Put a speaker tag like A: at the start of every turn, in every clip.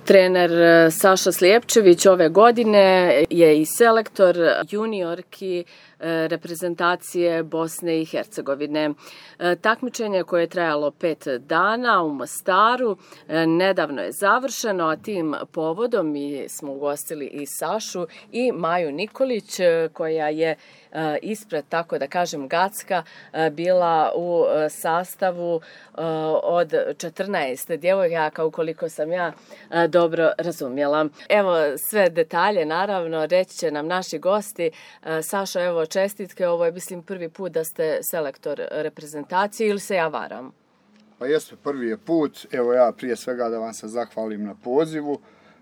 A: Trener Saša Slijepčević ove godine je i selektor juniorki reprezentacije Bosne i Hercegovine. Takmičenje koje je trajalo 5 dana u Mostaru nedavno je završeno, a tim povodom mi smo ugostili i Sašu i Maju Nikolić koja je ispred, tako da kažem, Gacka bila u sastavu od 14 djevojaka, ukoliko sam ja dobro razumjela. Evo, sve detalje, naravno, reći će nam naši gosti. Sašo, evo, čestitke, ovo je, mislim, prvi put da ste selektor reprezentacije, ili se ja varam?
B: Pa jeste, prvi je put. Evo ja prije svega da vam se zahvalim na pozivu,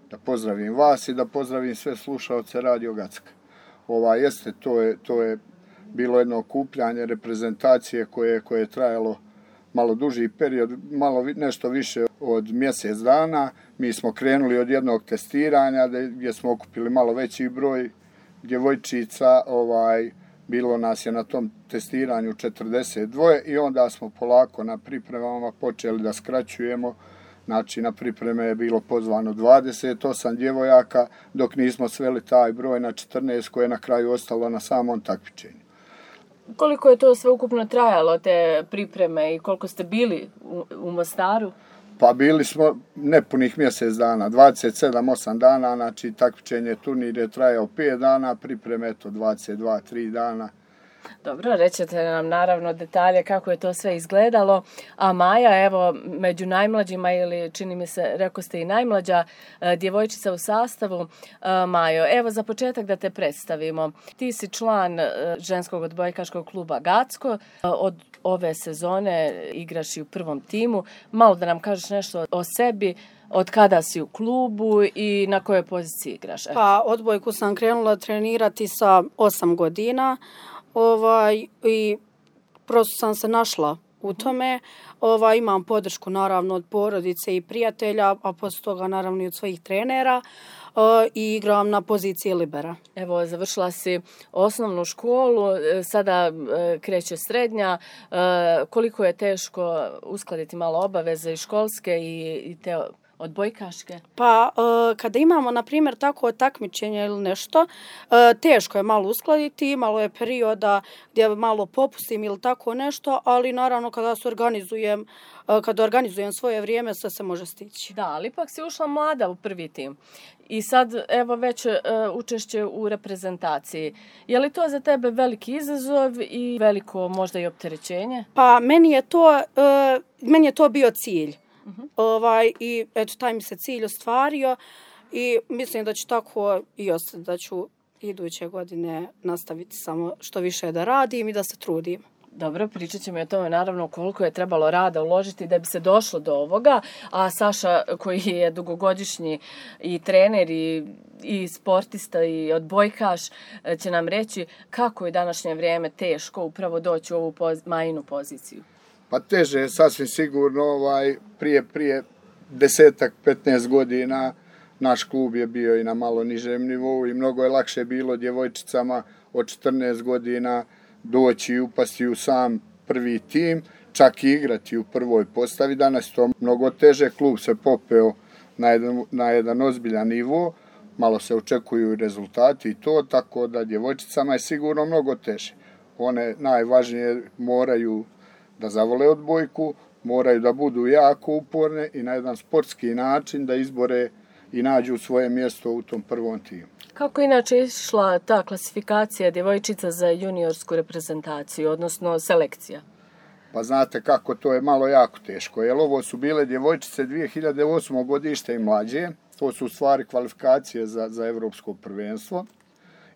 B: da pozdravim vas i da pozdravim sve slušaoce Radio Gacka. Jeste, to je bilo jedno okupljanje reprezentacije koje je trajalo malo duži period, nešto više od mjesec dana. Mi smo krenuli od jednog testiranja gdje smo okupili malo veći broj djevojčica. Bilo nas je na tom testiranju 42 i onda smo polako na pripremama počeli da skraćujemo. Znači, na pripreme je bilo pozvano 28 djevojaka, dok nismo sveli taj broj na 14 koje je na kraju ostalo na samom takmičenju.
A: Koliko je to sve ukupno trajalo, te pripreme, i koliko ste bili u Mostaru?
B: Pa bili smo nepunih mjesec dana, 27-8 dana, znači takmičenje, turnir je trajao 5 dana, pripreme 22-3 dana.
A: Dobro, rećete nam naravno detalje kako je to sve izgledalo. A Maja, evo, među najmlađima, ili čini mi se, rekao ste i najmlađa djevojčica u sastavu. Majo, evo za početak da te predstavimo. Ti si član ženskog odbojkaškog kluba Gacko. Od ove sezone igraš i u prvom timu. Malo da nam kažeš nešto o sebi, od kada si u klubu i na kojoj poziciji igraš?
C: Pa, odbojku sam krenula trenirati sa 8 godina. I prosto sam se našla u tome. Imam podršku naravno od porodice i prijatelja, a poslije toga naravno i od svojih trenera, i igram na poziciji libera.
A: Evo, završila si osnovnu školu, sada kreće srednja. Koliko je teško uskladiti malo obaveze i školske i te odbojkaške?
C: Pa, kada imamo, na primjer, tako takmičenje ili nešto, teško je malo uskladiti, malo je perioda gdje malo popustim ili tako nešto, ali naravno kada organizujem svoje vrijeme, sve se može stići.
A: Da, ali ipak si ušla mlada u prvi tim. I sad, evo, već učešće u reprezentaciji. Je li to za tebe veliki izazov i veliko možda i opterećenje?
C: Pa, meni je to bio cilj. I eto, taj mi se cilj ostvario i mislim da će tako i ostati, da ću iduće godine nastaviti samo što više da radim i da se trudim.
A: Dobro, pričat ćemo i o tome naravno koliko je trebalo rada uložiti da bi se došlo do ovoga, a Saša koji je dugogodišnji i trener i sportista i odbojkaš će nam reći kako je današnje vrijeme teško upravo doći u ovu Majinu poziciju.
B: Pa teže je sasvim sigurno, prije 10-15 godina naš klub je bio i na malo nižem nivou i mnogo je lakše bilo djevojčicama od 14 godina doći i upasti u sam prvi tim, čak i igrati u prvoj postavi. Danas to mnogo teže, klub se popeo na jedan ozbiljan nivo, malo se očekuju rezultati i to, tako da djevojčicama je sigurno mnogo teže. One najvažnije moraju da zavole odbojku, moraju da budu jako uporne i na jedan sportski način da izbore i nađu svoje mjesto u tom prvom timu.
A: Kako inače išla ta klasifikacija djevojčica za juniorsku reprezentaciju, odnosno selekcija?
B: Pa znate kako, to je malo jako teško, jer ovo su bile djevojčice 2008. godište i mlađe, to su u stvari kvalifikacije za evropsko prvenstvo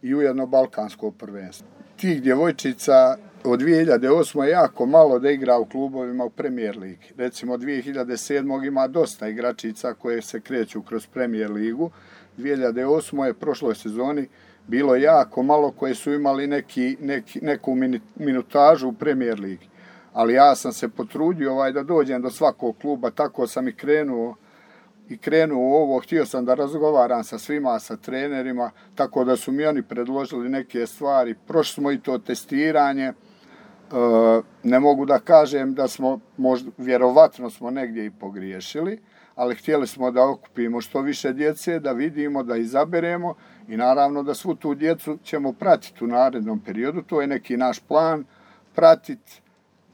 B: i ujedno balkansko prvenstvo. Tih djevojčica od 2008. je jako malo da igra u klubovima u Premier Ligi. Recimo 2007. ima dosta igračica koje se kreću kroz Premier Ligu. 2008. je prošloj sezoni bilo jako malo koje su imali neku minutažu u Premier Ligi. Ali ja sam se potrudio da dođem do svakog kluba, tako sam i krenuo u ovo. Htio sam da razgovaram sa svima, sa trenerima, tako da su mi oni predložili neke stvari. Prošli smo i to testiranje. Ne mogu da kažem da smo, vjerovatno smo negdje i pogriješili, ali htjeli smo da okupimo što više djece, da vidimo, da izaberemo i naravno da svu tu djecu ćemo pratiti u narednom periodu. To je neki naš plan, pratiti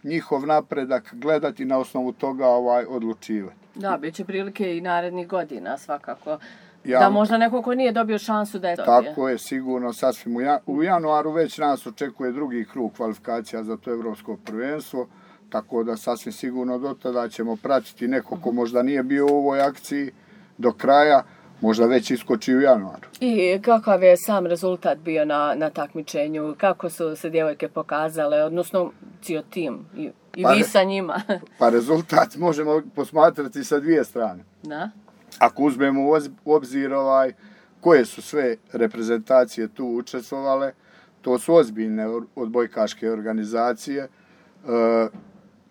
B: njihov napredak, gledati na osnovu toga odlučivati.
A: Da, bit će prilike i narednih godina svakako. Da možda neko ko nije dobio šansu da je dobio.
B: Tako je, sigurno, sasvim. U januaru već nas očekuje drugi krug kvalifikacija za to evropsko prvenstvo, tako da sasvim sigurno do tada ćemo pratiti neko ko možda nije bio u ovoj akciji do kraja, možda već iskoči u januaru.
A: I kakav je sam rezultat bio na takmičenju? Kako su se djevojke pokazale, odnosno cijel tim i vi sa njima?
B: Pa rezultat možemo posmatrati sa dvije strane.
A: Da?
B: Ako uzmemo u obzir koje su sve reprezentacije tu učestvovale, to su ozbiljne odbojkaške organizacije.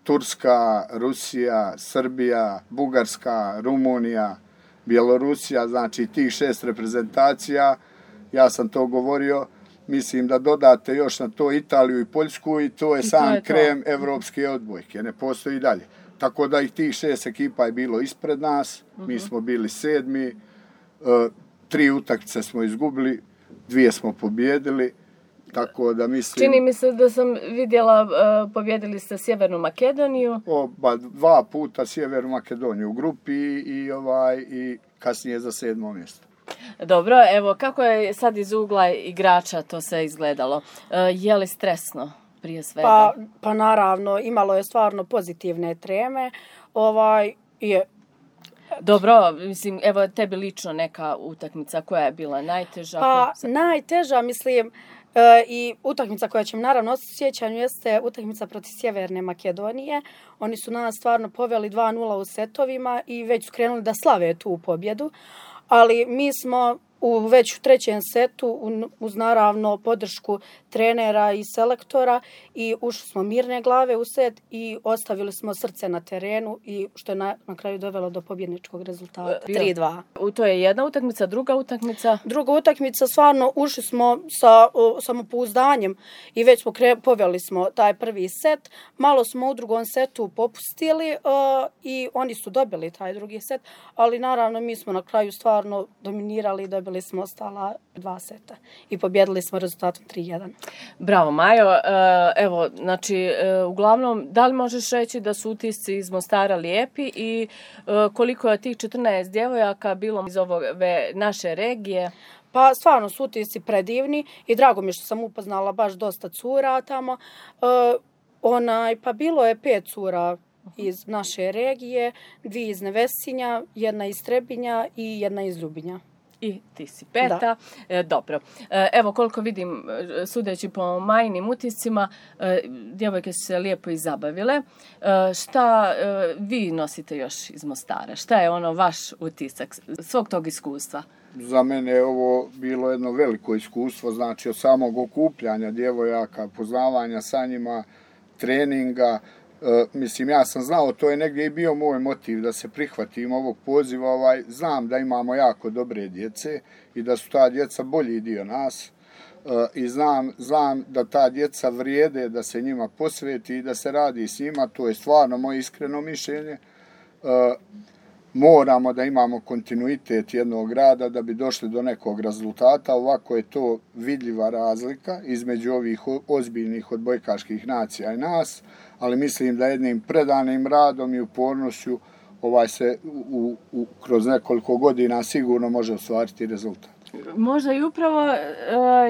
B: Turska, Rusija, Srbija, Bugarska, Rumunija, Bjelorusija, znači tih 6 reprezentacija, ja sam to govorio, mislim da dodate još na to Italiju i Poljsku i to je sam krem evropske odbojke, ne postoji dalje. Tako da i tih 6 ekipa je bilo ispred nas, mi smo bili 7. 3 utakmice smo izgubili, 2 smo pobjedili, tako da mislim...
A: Čini mi se da sam vidjela, pobjedili ste Sjevernu Makedoniju.
B: 2 puta Sjevernu Makedoniju u grupi i kasnije za 7. mjesto.
A: Dobro, evo, kako je sad iz ugla igrača to se izgledalo? Je li stresno prije svega?
C: Pa naravno, imalo je stvarno pozitivne treme.
A: Dobro, mislim, evo tebi lično neka utakmica koja je bila najteža?
C: Pa najteža, mislim, i utakmica koja će mi naravno ostati u sjećanju jeste utakmica protiv Sjeverne Makedonije. Oni su nas stvarno poveli 2-0 u setovima i već su krenuli da slave tu pobjedu. Ali mi smo već u 3. setu uz naravno podršku trenera i selektora i ušli smo mirne glave u set i ostavili smo srce na terenu i što je na kraju dovelo do pobjedničkog rezultata 3-2.
A: To je jedna utakmica, druga utakmica?
C: Druga utakmica, stvarno ušli smo sa samopouzdanjem i već smo poveli smo taj prvi set. Malo smo u drugom setu popustili i oni su dobili taj drugi set, ali naravno mi smo na kraju stvarno dominirali i dobili smo ostala 2 seta i pobjedili smo rezultatom 3-1.
A: Bravo, Majo. Evo, znači, uglavnom, da li možeš reći da su utisci iz Mostara lijepi i koliko je tih 14 djevojaka bilo iz ove naše regije?
C: Pa stvarno su utisci predivni i drago mi je što sam upoznala baš dosta cura tamo. Pa bilo je 5 cura iz naše regije, 2 iz Nevesinja, 1 iz Trebinja i 1 iz Ljubinja.
A: I ti si 5. Dobro. Evo koliko vidim, sudeći po Majinim utiscima, djevojke su se lijepo i zabavile. Šta vi nosite još iz Mostara? Šta je vaš utisak svog tog iskustva?
B: Za mene je ovo bilo jedno veliko iskustvo, znači od samog okupljanja djevojaka, poznavanja sa njima, treninga. Mislim, ja sam znao, to je negdje i bio moj motiv da se prihvatim ovog poziva. Znam da imamo jako dobre djece i da su ta djeca bolji dio nas i znam da ta djeca vrijede da se njima posveti i da se radi s njima. To je stvarno moje iskreno mišljenje. Moramo da imamo kontinuitet jednog rada da bi došli do nekog rezultata. Ovako je to vidljiva razlika između ovih ozbiljnih odbojkaških nacija i nas, ali mislim da jednim predanim radom i upornošću se kroz nekoliko godina sigurno može ostvariti rezultat.
A: Možda i upravo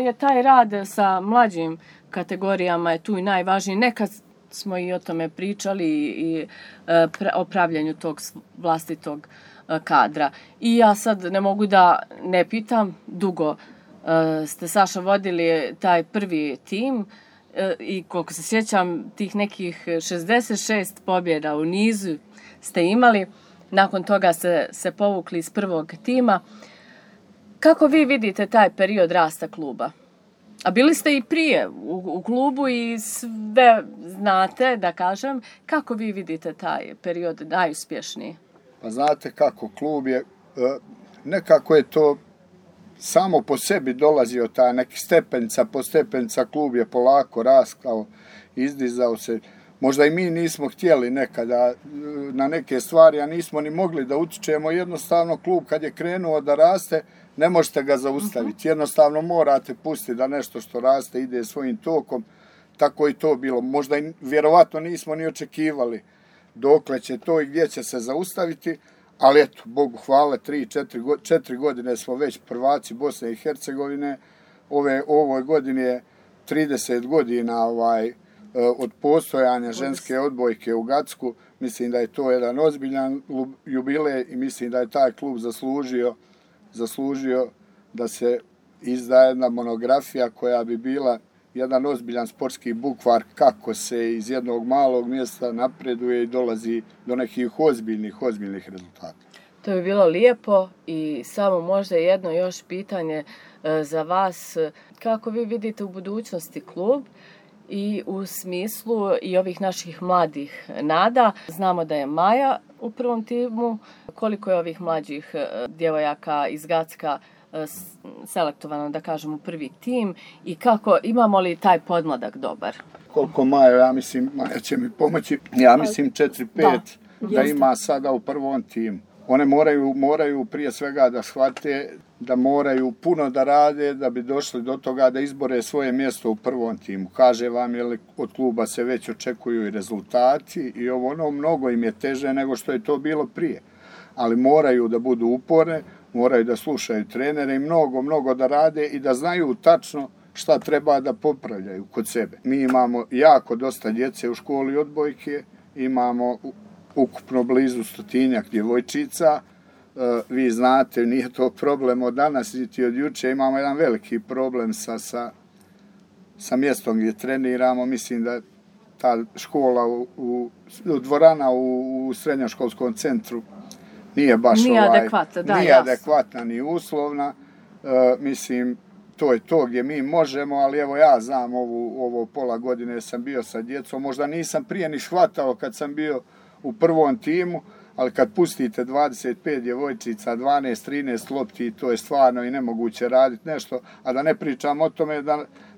A: je taj rad sa mlađim kategorijama je tu i najvažniji. Nekad smo i o tome pričali i o pravljanju tog vlastitog kadra. I ja sad ne mogu da ne pitam, dugo ste, Saša, vodili taj prvi tim i koliko se sjećam, tih nekih 66 pobjeda u nizu ste imali. Nakon toga se povukli iz prvog tima. Kako vi vidite taj period rasta kluba? A bili ste i prije u klubu i sve znate, da kažem. Kako vi vidite taj period najuspješniji?
B: Pa znate kako, klub je, nekako je to samo po sebi dolazio taj neki stepenca po stepenca, klub je polako raskao, izdizao se. možda i mi nismo htjeli nekada na neke stvari, a nismo ni mogli da utičemo. Jednostavno klub kad je krenuo da raste, ne možete ga zaustaviti. Jednostavno morate pustiti da nešto što raste ide svojim tokom. Tako i to bilo. Možda i vjerovatno nismo ni očekivali dokle će to i gdje će se zaustaviti, ali eto, Bogu hvala, 4 godine smo već prvaci Bosne i Hercegovine. Ovoj godini je 30 godina od postojanja ženske odbojke u Gacku. Mislim da je to jedan ozbiljan jubilej i mislim da je taj klub zaslužio da se izda jedna monografija koja bi bila jedan ozbiljan sportski bukvar kako se iz jednog malog mjesta napreduje i dolazi do nekih ozbiljnih rezultata.
A: To je bilo lijepo i samo možda jedno još pitanje za vas. Kako vi vidite u budućnosti klub i u smislu i ovih naših mladih nada? Znamo da je Maja u prvom timu. Koliko je ovih mlađih djevojaka iz Gacka selektovano, da kažem, u prvi tim i kako, imamo li taj podmladak dobar?
B: Koliko Maja Maja će mi pomoći, ja mislim 4-5 da ima sada u prvom timu. One moraju prije svega da shvate da moraju puno da rade da bi došli do toga da izbore svoje mjesto u prvom timu. Kaže vam, od kluba se već očekuju i rezultati i mnogo im je teže nego što je to bilo prije. Ali moraju da budu uporne, moraju da slušaju trenere i mnogo da rade i da znaju tačno šta treba da popravljaju kod sebe. Mi imamo jako dosta djece u školi odbojke, imamo ukupno blizu 100-tinjak djevojčica. Vi znate, nije to problem od danas niti od juče, imamo jedan veliki problem sa mjestom gdje treniramo. Mislim da ta škola, dvorana u srednjoškolskom centru nije baš adekvatna ni uslovna. Mislim, to je to gdje mi možemo, ali evo ja znam ovo pola godine sam bio sa djecom. Možda nisam prije ni shvatao kad sam bio u prvom timu, ali kad pustite 25 djevojčica, 12-13 lopti, to je stvarno i nemoguće raditi nešto, a da ne pričam o tome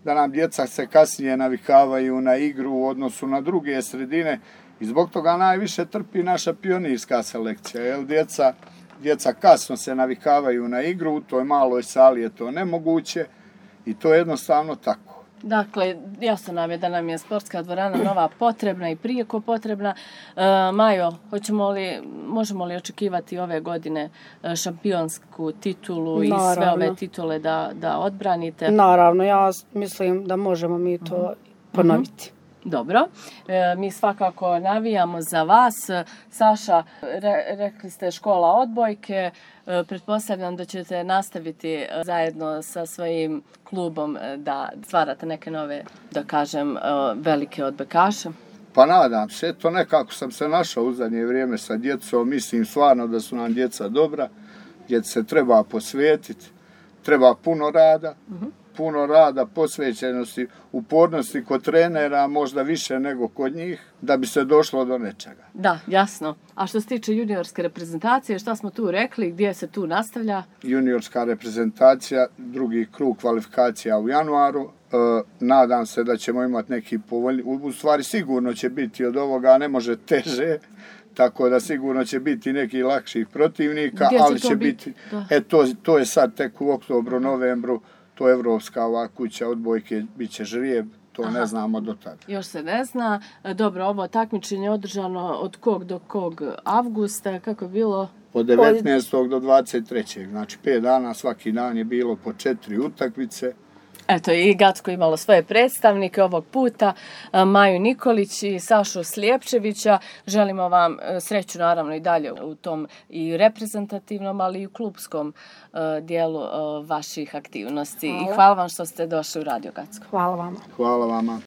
B: da nam djeca se kasnije navikavaju na igru u odnosu na druge sredine i zbog toga najviše trpi naša pionirska selekcija, jer djeca kasno se navikavaju na igru, u toj maloj sali je to nemoguće i to je jednostavno tako.
A: Dakle, jasno nam je da nam je sportska dvorana nova potrebna i prijeko potrebna. Majo, možemo li očekivati ove godine šampionsku titulu i sve ove titule da odbranite?
C: Naravno, ja mislim da možemo mi to ponoviti.
A: Dobro, mi svakako navijamo za vas. Saša, rekli ste škola odbojke, pretpostavljam da ćete nastaviti zajedno sa svojim klubom da stvarate neke nove, da kažem, velike odbojkaše.
B: Pa nadam se, eto nekako sam se našao u zadnje vrijeme sa djecom, mislim stvarno da su nam djeca dobra, djeci se treba posvetiti, treba puno rada, posvećenosti, upornosti kod trenera, možda više nego kod njih, da bi se došlo do nečega.
A: Da, jasno. A što se tiče juniorske reprezentacije, šta smo tu rekli, gdje se tu nastavlja?
B: Juniorska reprezentacija, drugi krug kvalifikacija u januaru. Nadam se da ćemo imati neki povoljni, u stvari sigurno će biti od ovoga, ne može teže, tako da sigurno će biti neki lakših protivnika, ali će biti, to je sad tek u oktobru, novembru, to je evropska kuća odbojke, bit će žrijeb, to ne znamo do tada.
A: Još se ne zna. Dobro, ovo takmičenje je održano od kog do kog avgusta, kako je bilo?
B: Od 19. do 23. Znači 5 dana, svaki dan je bilo po 4 utakmice.
A: Eto, i Gacko imalo svoje predstavnike ovog puta, Maju Nikolić i Sašu Slijepčevića. Želimo vam sreću naravno i dalje u tom i reprezentativnom, ali i u klubskom dijelu vaših aktivnosti. I hvala vam što ste došli u Radio Gacko.
C: Hvala vama.
B: Hvala vama.